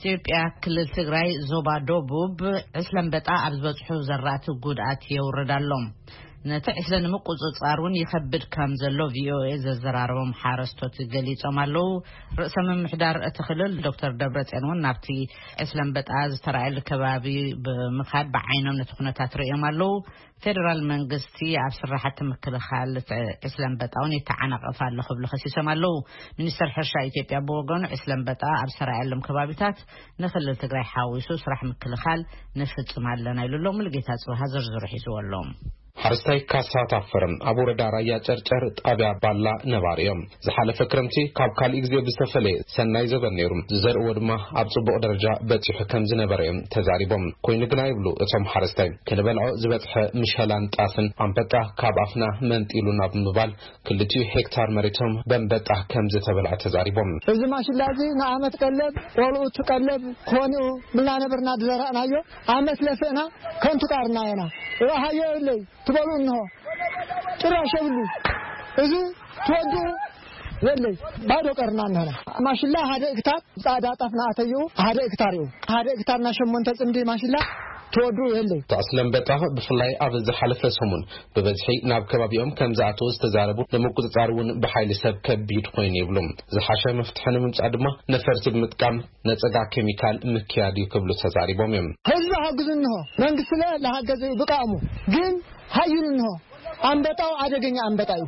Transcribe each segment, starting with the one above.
ኢትዮጵያ ክልል ትግራይ ዞባ ደቡብ ዕስለ ኣንበጣ ኣብ ዝበፅሑ ዘራእቲ ጉድኣት የውርድ ኣሎ። ነቲ ዕስለ ንምቁፅፃር እውን ይኸብድ ከም ዘሎ ቪኦኤ ዘዘራረቦም ሓረስቶት ገሊፆም ኣለዉ። ርእሰ ምምሕዳር እቲ ክልል ዶክተር ደብረፅዮን እውን ናብቲ ዕስለ ኣንበጣ ዝተራእየሉ ከባቢ ብምኻድ ብዓይኖም ነቲ ኩነታት ርእዮም ኣለዉ። ፌደራል መንግስቲ ኣብ ስራሕቲ ምክልኻል ዕስለ ኣንበጣ እውን ይተዓናቐፍ ኣሎ ክብሉ ከሲሶም ኣለዉ። ሚኒስተር ሕርሻ ኢትዮጵያ ብወገኑ ዕስለ ኣንበጣ ኣብ ዝተራእየሎም ከባቢታት ንክልል ትግራይ ሓዊሱ ስራሕ ምክልኻል ንፍፅም ኣለና ኢሉ ኣሎ። ሙሉጌታ ጽብሃ ዝርዝሩ ሒዝዎ ኣሎ። ሓረስታይ ካሳ ታፈረ ኣብ ወረዳ ራያ ጨርጨር ጣብያ ባላ ነባሪ እዮም። ዝሓለፈ ክረምቲ ካብ ካልእ ግዜ ብዝተፈለየ ሰናይ ዘበን ነይሩ። ዝዘርእዎ ድማ ኣብ ጽቡቕ ደረጃ በጺሑ ከም ዝነበረ እዮም ተዛሪቦም። ኮይኑ ግና ይብሉ እቶም ሓረስታይ፣ ክንበልዖ ዝበጽሐ ምሸላን ጣፍን ኣንበጣ ካብ ኣፍና መንጢሉና ብምባል ክልቲኡ ሄክታር መሬቶም በንበጣ ከም ዝተበልዐ ተዛሪቦም። እዚ ማሽላ እዚ ንዓመት ቀለብ፣ ቆልዑ ትቀለብ ክኾን እዩ ብልና ነበርና ዝዘራእናዮ። ዓመት ለፍእና ከንቱ ቃርና ኢና። ረሃዮ የብለይ ትበሉ እንሆ። ጭራሽ የብሉ። እዚ ትወድኡ የለይ። ባዶ ቀርና እንሆና። ማሽላ ሓደ እክታር ጻዕዳ ጣፍ ንኣተይኡ ሓደ እክታር እዩ። ሓደ እክታር ና ሸሞንተ ጽምዲ ማሽላ ትወድኡ የለይ። ተዕስለ ኣንበጣ ብፍላይ ኣብ ዝሓለፈ ሰሙን ብበዝሒ ናብ ከባቢኦም ከም ዝኣተወ ዝተዛረቡ ንምቁጽጻር እውን ብሓይሊ ሰብ ከቢድ ኮይኑ ይብሉ። ዝሓሸ መፍትሒ ንምምጻእ ድማ ነፈርቲ ብምጥቃም ነጸጋ ኬሚካል ምክያድ እዩ ክብሉ ተዛሪቦም እዮም። ህዝቢ ሓግዙ እንሆ። መንግስቲ ለ ለሃገዘ እዩ ብቃእሙ። ግን ሃይሉ እንሆ። ኣንበጣው ኣደገኛ ኣንበጣ እዩ።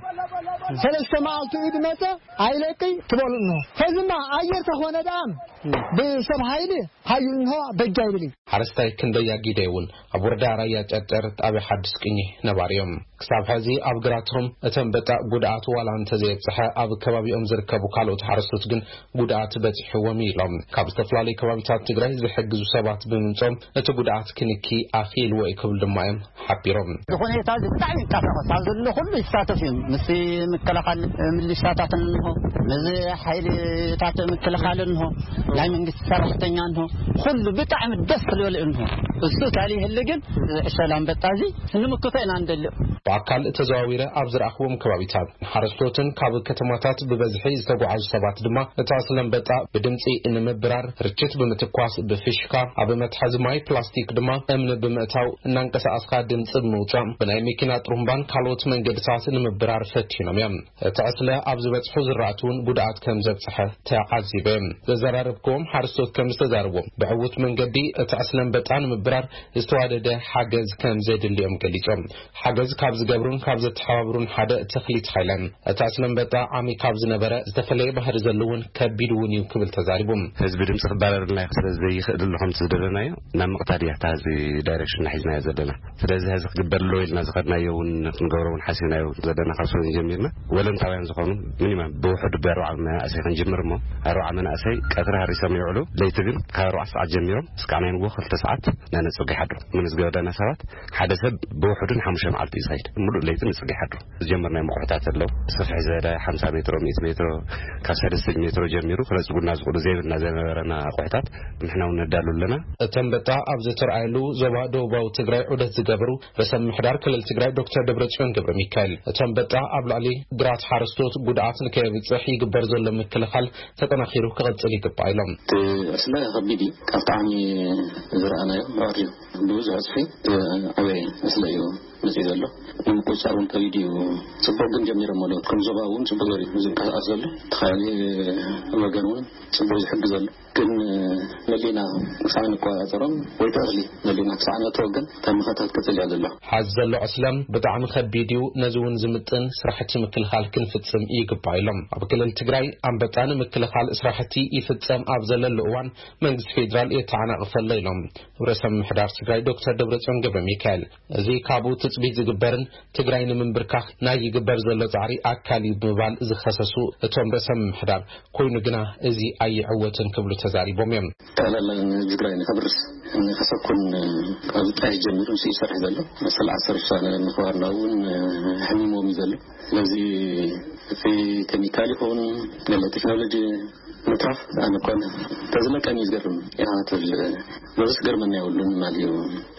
ሰለስተ መዓልቲ እዩ ድመጸ ኣይለቅይ ትበሉ እንሆ። ከዝማ ኣየር ተኾነ ደኣም ብሰብ ሃይሊ ሃይሉ እንሆ በጃ ይብል እዩ። ሓረስታይ ክንደያ ጊደ እውን ኣብ ወረዳ ራያ ጨርጨር ጣብያ ሓድሽ ቅኚ ነባሪ እዮም። ክሳብ ሕዚ ኣብ ግራቶም እቲ ኣንበጣ ጉድኣት ዋላ እንተዘየብጽሐ፣ ኣብ ከባቢኦም ዝርከቡ ካልኦት ሓረስቶት ግን ጉድኣት በጺሕዎም እዩ ኢሎም። ካብ ዝተፈላለዩ ከባቢታት ትግራይ ዝሕግዙ ሰባት ብምምጾም እቲ ጉድኣት ክንኪ ኣኽኢልዎ እዩ ክብል ድማ እዮም ሓቢሮም። እቲ ሁኔታ እዚ ብጣዕሚ ይጣፈስ። ኣብ ዘሎ ኩሉ ይሳተፍ እዩ። ምስ ምክልኻል ምልሻታት እንሆ፣ ምስ ሓይልታት ምክልኻል እንሆ፣ ናይ መንግስቲ ሰራሕተኛ እንሆ፣ ኩሉ ብጣዕሚ ደስ ክብል እንሆ። እሱ ታሪክ ህል ግን ዕሸል ኣንበጣ እዚ ንምክቶ ኢና እንደልዮ። ብኣካል ተዘዋዊረ ኣብ ዝረኣኽዎም ከባቢታት ሓረስቶትን ካብ ከተማታት ብበዝሒ ዝተጓዓዙ ሰባት ድማ እቲ ዕስለ ኣንበጣ ብድምፂ ንምብራር፣ ርችት ብምትኳስ፣ ብፊሽካ፣ ኣብ መትሓዚ ማይ ፕላስቲክ ድማ እምኒ ብምእታው እናንቀሳቐስካ ድምፂ ብምውፃእ ብናይ መኪና ጥሩምባን ካልኦት መንገድታት ንምብራር ፈቲኖም እዮም። እቲ ዕስለ ኣብ ዝበፅሑ ዝራእቲ እውን ጉድኣት ከም ዘብፅሐ ተዓዚበ። ዘዘራረብክዎም ሓረስቶት ከም ዝተዛረብዎም ብዕዉት መንገዲ እቲ ዕስለ ኣንበጣ ንምብራር ዝተዋደደ ሓገዝ ከም ዘድልዮም ገሊጾም። ሓገዝ ካብ ዝገብሩን ካብ ዘተሓባብሩን ሓደ ተኽሊት ሃይለ፣ እቲ ዕስለ ኣንበጣ ዓሚ ካብ ዝነበረ ዝተፈለየ ባህሪ ዘለዎን ከቢድ እውን እዩ ክብል ተዛሪቡ። ህዝቢ ድምፂ ክባረርልና እዩ ስለ ዘይኽእል ኣሎ ከምቲ ዝደለናዮ ናብ ምቕታል እያ እታ ህዝቢ ዳይሬክሽን ሒዝናዮ ዘለና። ስለዚ ህዝቢ ክግበር ኣለዎ ኢልና ዝኸድናዮ እውን ክንገብሮ እውን ሓሲብናዮ ዘለና ካብ ሰሙን ጀሚርና ወለንታውያን ዝኾኑ ሚኒማም ብውሕዱ ብኣርባዓ መናእሰይ ክንጅምር እሞ ኣርባዓ መናእሰይ ቀትሪ ሃሪሶም ይውዕሉ። ለይቲ ግን ካብ ኣርባዓ ሰዓት ጀሚሮም እስካዕ ናይ ንግሆ ክልተ ሰዓት እናነፀጉ ይሓድሩ። ምንዝገበ ዳና ሰባት ሓደ ሰብ ብውሕዱ ንሓሙሽተ መዓልቲ እዩ ዝኸይድ። ሙሉእ ለይቲ ንፅጊ ይሓድሩ። ዝጀመርናዮም ኣቑሑታት ኣለዉ። ስፍሕ ዝበለ ሓምሳ ሜትሮ፣ ሚእቲ ሜትሮ፣ ካብ ሰለስተ ሜትሮ ጀሚሩ ክነፅጉና ዝኽእሉ ዘይብልና ዝነበረና ኣቑሑታት ንሕና እውን ነዳሉ ኣለና። እቲ ኣንበጣ ኣብ ዝተርኣየሉ ዞባ ደቡባዊ ትግራይ ዑደት ዝገበሩ ርእሰ ምምሕዳር ክልል ትግራይ ዶክተር ደብረጽዮን ገብረ ሚካኤል፣ እቲ ኣንበጣ ኣብ ልዕሊ ግራት ሓረስቶት ጉድኣት ንከየብጽሕ ይግበር ዘሎ ምክልኻል ተጠናኺሩ ክቕጽል ይግባእ ኢሎም። እቲ ዕስለ ከቢድ እዩ። ካብ ጣዕሚ ዝረኣናዮ ምዕር እዩ። ብብዙሕ ዕፅፊ እቲ ዓበየ ዕስለ እዩ መፅኡ ዘሎ። ንምቁፅፃር እውን ከቢድ እዩ። ፅቡቕ ግን ጀሚሮም ኣለዉ። ከም ዞባ እውን ፅቡቕ ዘርኢ እዩ ዝንቀሳቐስ ዘሎ። እቲ ካልእ ወገን እውን ፅቡቕ ዝሕግዝ ኣሎ። ግን መሊና ክሳዕ ንቆፃፀሮም ወይ ተኽሊ መሊና ክሳዕ ነእትዎ ግን ተምኸታት ክፅል እያ ዘሎ። ሓዚ ዘሎ ዕስለ ብጣዕሚ ከቢድ እዩ። ነዚ እውን ዝምጥን ስራሕቲ ምክልኻል ክንፍፅም ይግባእ ኢሎም። ኣብ ክልል ትግራይ ኣንበጣ ንምክልኻል ስራሕቲ ይፍፀም ኣብ ዘለሉ እዋን መንግስቲ ፌዴራል የተዓናቕፍ ኣሎ ኢሎም ርእሰ ምምሕዳር ትግራይ ዶክተር ደብረፅዮን ገብረ ሚካኤል። እዚ ካብኡ ትፅቢት ዝግበርን ትግራይ ንምንብርካኽ ናይ ይግበር ዘሎ ፃዕሪ ኣካል እዩ ብምባል ዝኸሰሱ እቶም ርእሰ ምምሕዳር፣ ኮይኑ ግና እዚ ኣይዕወትን ክብሉ ተዛሪቦም እዮም። ጠቕላላ ንትግራይ ንኸብርስ ንኸሰኩን ካብ ጣይ ጀሚሩ ንሱ ይሰርሕ ዘሎ። መሰል ዓሰርተ ውሳነ ምኽባርና እውን ሕሚሞም እዩ ዘሎ። ስለዚ እቲ ኬሚካል ይኹን ገለ ቴክኖሎጂ ምትራፍ ኣነ እኳ ተዝለቀኒ ዝገርም ኢና ትብል። በዚ ዝገርመና የብሉን ማለት እዩ።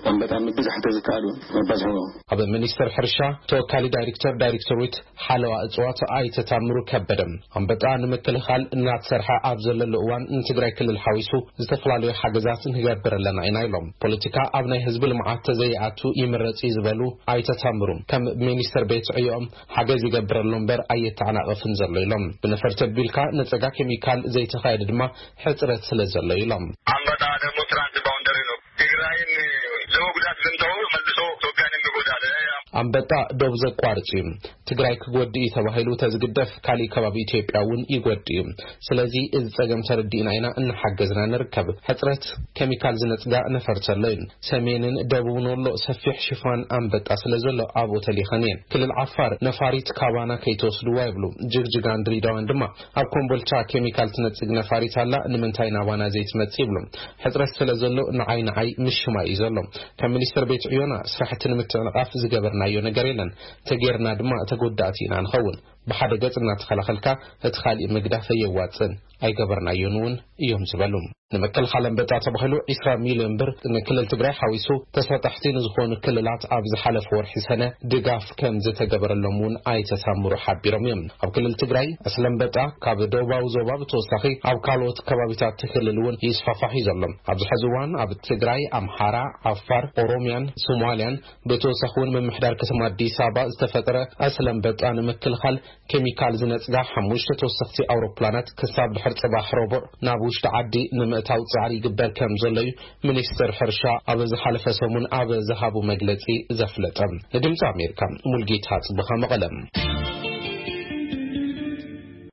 ኣንበጣ ምብዛሕ ተዝከኣል መባዝሖ ኣብ ሚኒስትር ሕርሻ ተወካሊ ዳይሬክተር ዳይሬክተር ዊት ሓለዋ እፅዋት ኣይተታምሩ ከበደ ኣንበጣ ንምክልኻል እናተሰርሐ ኣብ ዘለሉ እዋን ንትግራይ ክልል ሓዊሱ ዝተፈላለዩ ሓገዛት ንገብር ኣለና ኢና ኢሎም። ፖለቲካ ኣብ ናይ ህዝቢ ልምዓት ተዘይኣቱ ይምረፅ እዩ ዝበሉ ኣይተታምሩ ከም ሚኒስትር ቤት ዕዮም ሓገዝ ይገብረሉ እምበር ኣየተዓናቐፍን ዘሎ ኢሎም። ብነፈርቲ ኣቢልካ ነፀጋ ኬሚካል ዘይተኻየደ ድማ ሕፅረት ስለ ዘሎ ኢሎም። ኣንበጣ ደግሞ ትራንስ ባውንደሪ ነው። ትግራይን ለመጉዳት ዝምተው መልሶ ኢትዮጵያን የሚጎዳ አለ። ኣንበጣ ዶብ ዘቋርፅ እዩ። ትግራይ ክጎድእ እዩ ተባሂሉ ተዝግደፍ ካሊእ ከባቢ ኢትዮጵያ እውን ይጎድእ እዩ። ስለዚ እዚ ፀገም ተረዲእና ኢና እናሓገዝና ንርከብ። ሕፅረት ኬሚካል ዝነፅጋ ነፈርተሎ እዩ። ሰሜንን ደቡብን ወሎ ሰፊሕ ሽፋን ኣንበጣ ስለ ዘሎ ኣብኡ ተሊኸን እየን። ክልል ዓፋር ነፋሪት ካባና ከይተወስድዋ ይብሉ። ጅግጅጋን ድሪዳዋን ድማ ኣብ ኮምቦልቻ ኬሚካል ትነፅግ ነፋሪት ኣላ ንምንታይ ናባና ዘይትመፅእ ይብሉ። ሕፅረት ስለ ዘሎ ንዓይ ንዓይ ምሽማይ እዩ ዘሎ። ከም ሚኒስትር ቤት ዕዮና ስራሕቲ ንምትዕንቓፍ ዝገበርናዮ ነገር የለን። ተጌርና ድማ ተጎዳእቲ ኢና ንኸውን። ብሓደ ገፅ እናተኸላኸልካ እቲ ካሊእ ምግዳፍ ኣየዋፅን ኣይገበርናዮን እውን እዮም ዝበሉ። ንምክልኻል ኣንበጣ ተባሂሉ ዒስራ ሚልዮን ብር ንክልል ትግራይ ሓዊሱ ተሳጣሕቲ ንዝኾኑ ክልላት ኣብ ዝሓለፈ ወርሒ ሰነ ድጋፍ ከም ዝተገበረሎም እውን ኣይተታምሩ ሓቢሮም እዮም። ኣብ ክልል ትግራይ ዕስለ ኣንበጣ ካብ ደቡባዊ ዞባ ብተወሳኺ ኣብ ካልኦት ከባቢታት ክልል እውን ይስፋፋሕ እዩ ዘሎ። ኣብዚ ሕዚ እዋን ኣብ ትግራይ ኣምሓራ፣ ዓፋር፣ ኦሮሚያን ሶማሊያን ብተወሳኺ እውን ምምሕዳር ከተማ ኣዲስ ኣበባ ዝተፈጠረ ዕስለ ኣንበጣ ንምክልኻል ኬሚካል ዝነፅጋ ሓሙሽተ ተወሰኽቲ ኣውሮፕላናት ክሳብ ድሕር ፅባሕ ረቡዕ ናብ ውሽጢ ዓዲ ንምእታው ፃዕሪ ይግበር ከም ዘሎ እዩ ሚኒስትር ሕርሻ ኣብ ዝሓለፈ ሰሙን ኣብ ዝሃቡ መግለፂ ዘፍለጠ። ንድምፂ ኣሜሪካ ሙልጌታ ፅብኻ መቐለም።